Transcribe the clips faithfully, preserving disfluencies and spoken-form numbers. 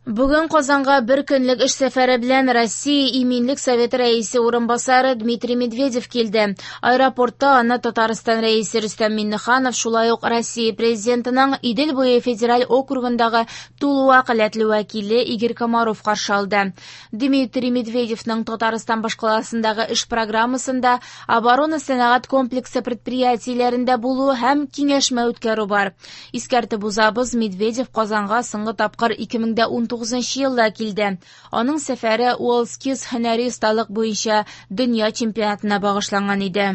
Бүген Казанга бер көнлек эш сәфәре белән Россия Иминлек Советы рәисе урынбасары Дмитрий Медведев килде. Аэропортта аны Татарстан рәисе Рөстәм Миңнеханов, шулай ук Россия президентының Идел буе федераль округындагы тулы вәкаләтле вәкиле Игорь Комаров каршы алды. Дмитрий Медведевның Татарстан башкаласындагы эш программасында оборона сәнәгать комплексы предприятиеләрендә булу һәм киңәшмә үткәрү бар. Искәртеп узабыз, Медведев Казанга соңгы тапкыр ике мең дә унтугызынчы елда килде. Аның сәфәре WorldSkills һөнәри осталык буенча дөнья чемпионатына багышланган иде.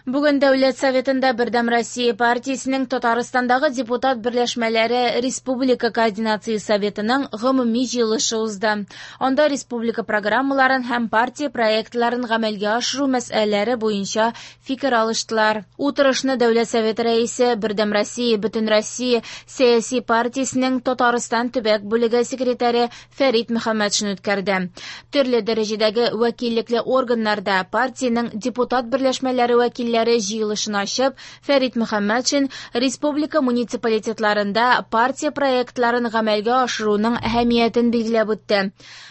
Бүген Дәүләт Советында Бердәм Россия партиясенең Татарстандагы депутат берләшмәләре Республика Координация Советының гомуми җыелышы узды. Анда республика программаларын һәм партия проектларын гамәлгә ашыру мәсьәләләре буенча фикер алыштылар. Утырышны Дәүләт Советы рәисе Бердәм Россия Бөтенроссия сәяси партиясенең Татарстан төбәк бүлеге секретаре Фәрит Мөхәммәтшин үткәрде. Төрле дәрәҗәдәге вәкиллекле органнарда партиянең депутат берләшмәләре вәкилләре җыелышын ачып, Фәрит Мөхәммәтшин республика муниципалитетларында партия проектларын гамәлгә ашыруның әһәмиятен билгеләп үтте.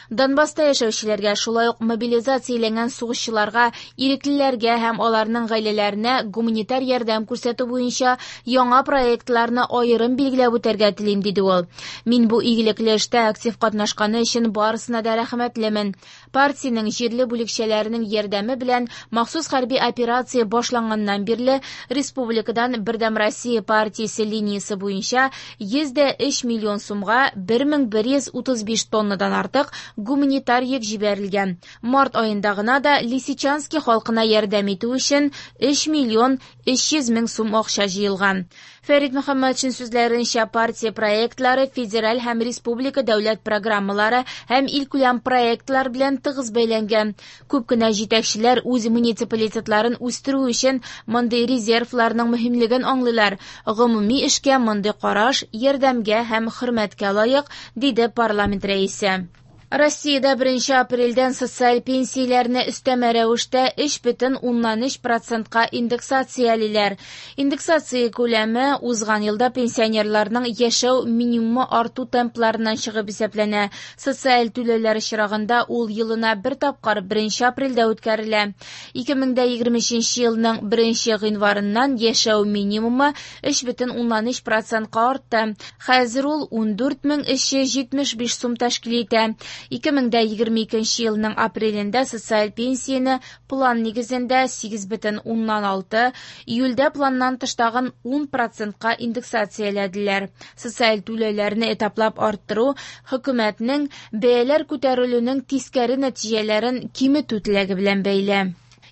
Донбасста яшәүчеләргә, шулай ук мобилизацияләнгән сугышчыларга, иреклеләргә һәм аларның гаиләләренә гуманитар ярдәм күрсәтү буенча яңа проектларны аерым билгеләп үтәргә телим, диде ул. Мин бу игелекле эштә актив катнашканы өчен барысына да рәхмәтлемен. Партиянең җирле бүлекчәләренең ярдәме белән махсус хәрби операция башланганнан бирле республикадан Бердәм Россия партиясе линиясе буенча йөз дә өч миллион сумга бер мең бер йөз утыз биш тоннадан артык гуманитар йөк җибәрелгән. Март аенда гына да Лисичанский халкына ярдәм итү өчен өч миллион өч йөз мең сум акча җыелган. Фәрит Мөхәммәтшин сүзләренчә, партия проектлары федераль һәм республика дәүләт программалары һәм илкүләм проектлар белән тыгыз бәйләнгән. Күп кенә җитәкчеләр үз муниципалитетларын үстерү өчен мондый резервларның мөһимлеген аңлыйлар. Гомуми эшкә мондый караш ярдәмгә һәм хөрмәткә лаек, диде парламент рәисе. Россиядә беренче апрельдән социаль пенсияләрне өстәмә рәвештә өч бөтен уннан өч процентка индексациялиләр. Индексация күләме узган елда пенсионерларның яшәү минимумы арту темпларыннан чыгып исәпләнә. Социаль түләүләр очрагында ул елына бер тапкыр беренче апрельдә үткәрелә. Ике мең дә егерме өченче елның беренче гыйнварыннан яшәү минимумы өч бөтен уннан өч процентка артты. Хәзер ул ундүрт мең өч йөз җитмеш биш сум тәшкил итә. Ике мең дә егерме икенче елның апрелендә социаль пенсияне план нигезендә сигез бөтен уннан алты, июльдә планнан тыш тагын ун процентка индексацияләделәр. Социаль түләүләрне этаплап арттыру хөкүмәтнең бәяләр күтәрелүнең тискәре нәтиҗәләрен киметү теләге белән бәйле.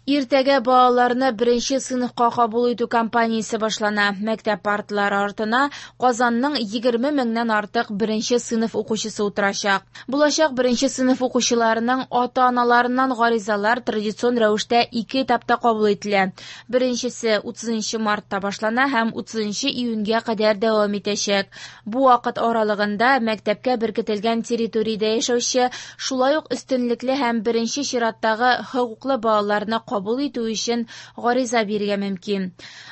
Иртәгә балаларны беренче сыйныфка кабул итү кампаниясе башлана. Мәктәп парталары артына Казанның егерме меңнән артык беренче сыйныф укучысы утырачак. Булачак беренче сыйныф укучыларының ата-аналарыннан гаризалар традицион рәвештә ике этапта кабул ителә. Беренчесе утызынчы мартта башлана һәм утызынчы июньгә кадәр дәвам итәчәк. Бу вакыт аралыгында мәктәпкә беркетелгән территориядә яшәүче, шулай ук өстенлекле һәм беренче чираттагы хокуклы балаларны кабул итү өчен гариза бирергә мөмкин.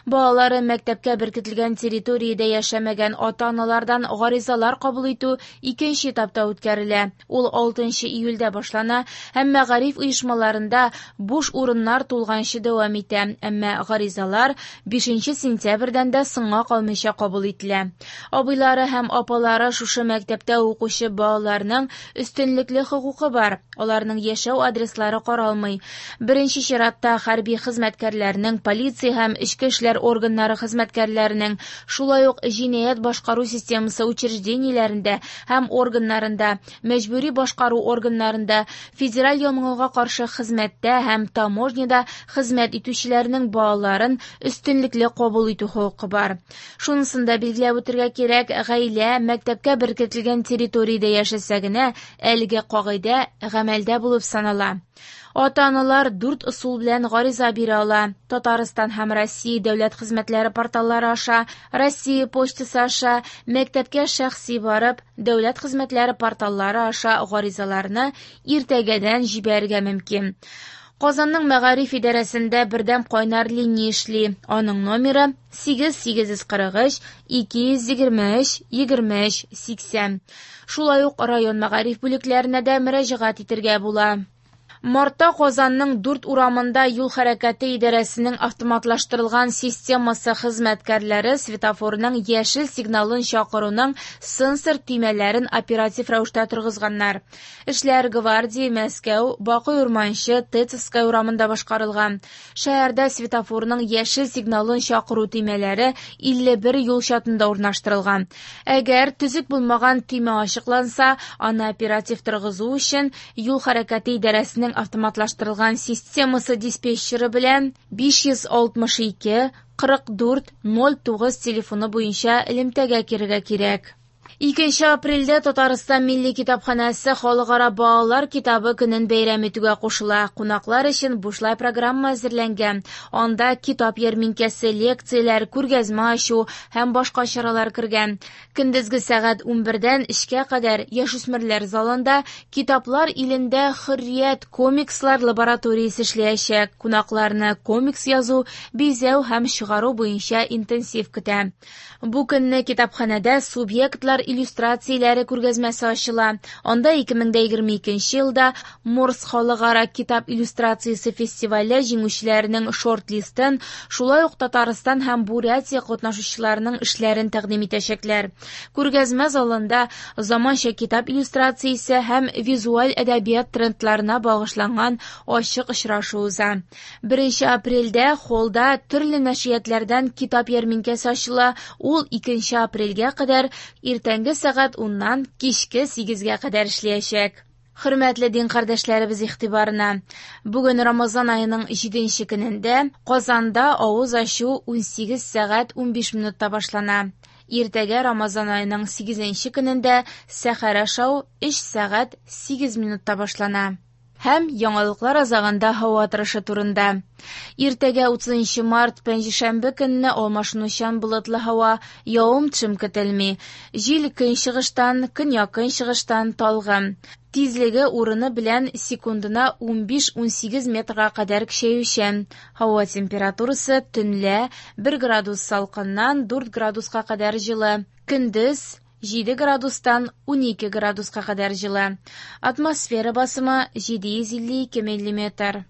Балалары мәктәпкә беркетелгән территориядә яшәмәгән ата-аналардан гаризалар кабул итү икенче этапта үткәрелә. Ул алтынчы июльдә башлана һәм мәгариф оешмаларында буш урыннар тулганчы дәвам итә. Әмма гаризалар бишенче сентябрьдән дә соңга калмыйча кабул ителә. Абыйлары һәм апалары шушы мәктәптә укучы балаларның өстенлекле хокукы бар. Аларның яшәү адреслары каралмый. Беренче чират хәрби хезмәткәрләрнең, полиция һәм эчке эшләр органнары хезмәткәрләренең, шулай ук җинаять башкару системасы учреждениеләрендә һәм органнарында, мәҗбүри башкару органнарында, федераль янгынга каршы хезмәттә һәм таможняда хезмәт итүчеләрнең балаларын өстенлекле кабул итү хокукы бар. Шунысын да билгеләп үтергә кирәк, гаилә мәктәпкә беркетелгән территориядә яшәсә генә әлеге кагыйдә гамәлдә булып санала. Ата-аналар дүрт ысул белән гариза бирә ала. Татарстан һәм Россия дәүләт хезмәтләре порталлары аша, Россия почтасы аша, мәктәпкә шәхси барып, дәүләт хезмәтләре порталлары аша гаризаларны иртәгәдән җибәрергә мөмкин. Казанның мәгариф идарәсендә бердәм кайнар линия эшли. Аның номеры сигез сигез йөз кырык өч ике йөз егерме өч егерме өч сиксән. Шулай ук район мәгариф бүлекләренә дә мөрәҗәгать итергә була. Мартта Казанның дүрт урамында юл хәрәкәте идарәсенең автоматлаштырылган системасы хезмәткәрләре светофорның яшел сигналын чакыруның сенсор төймәләрен оператив рәвештә торгызганнар. Эшләр Гвардия, Мәскәү, Бакый Урманчы, Тетовская урамында башкарылган. Шәһәрдә светофорның яшел сигналын чакыру төймәләре илле бер юл чатында урнаштырылган. Әгәр төзек булмаган төймә ачыкланса, аны оператив торгызу өчен юл хәрәкәте идарәсенең автоматлаштырылган системасы диспетчеры белән биш йөз алтмыш ике кырык дүрт ноль тугыз телефоны буенча элемтәгә керергә кирәк. Икенче апрельдә Татарстан Милли китапханәсе Халыкара балалар китабы көнен бәйрәм итүгә кушыла. Кунаклар өчен бушлай программа әзерләнгән. Анда китап ярминкәсе, лекцияләр, күргәзмә ачу һәм башка чаралар кергән. Көндезге сәгать унбердән өчкә кадәр яшүсмерләр залында Китаплар илендә хөррият комикслар лабораториясе эшләячәк. Кунакларны комикс язу, бизәү һәм чыгару буенча интенсив көтә. Бу көнне китапханәдә субъектлар иллюстрацияләре күргәзмәсе ачыла. Анда ике мең дә егерме икенче елда Морс халыкара китап иллюстрациясе фестивале җиңүчеләренең шорт-листын, шулай ук Татарстан һәм Бурятия катнашучыларының эшләрен тәкъдим итәчәкләр. Күргәзмә залында заманча китап иллюстрациясе һәм визуаль әдәбият трендларына багышланган ачык очрашу уза. Беренче апрельдә холлда төрле нәшриятләрдән китап ярминкәсе ачыла. Ул икенче апрельгә кадәр иртәнге сәгать уннан кичке сигезгә кадәр эшләячәк. Хөрмәтле дин кардәшләребез игътибарына! Бүген Рамазан аеның җиденче көнендә Казанда авыз ачу унсигез сәгать унбиш минутта башлана. Иртәгә Рамазан аеның сигезенче көнендә сәхәр ашау өч сәгать сигез минутта башлана. Һәм яңалыклар азагында һава торышы турында. Иртәгә утызынчы март пәнҗешәмбе көнне алмашынучан болытлы һава, явым-төшем көтелми. Җил көнчыгыштан, көньяк-көнчыгыштан талгын. Тизлеге урыны белән секундына унбиш-унсигез метрга кадәр көчәючән. Һава температурасы төнлә бер градус салкыннан дүрт градуска кадәр җылы. Көндез җиде градустан унике градуска кадәр җылы. Атмосфера басымы җиде йөз илле ике миллиметр.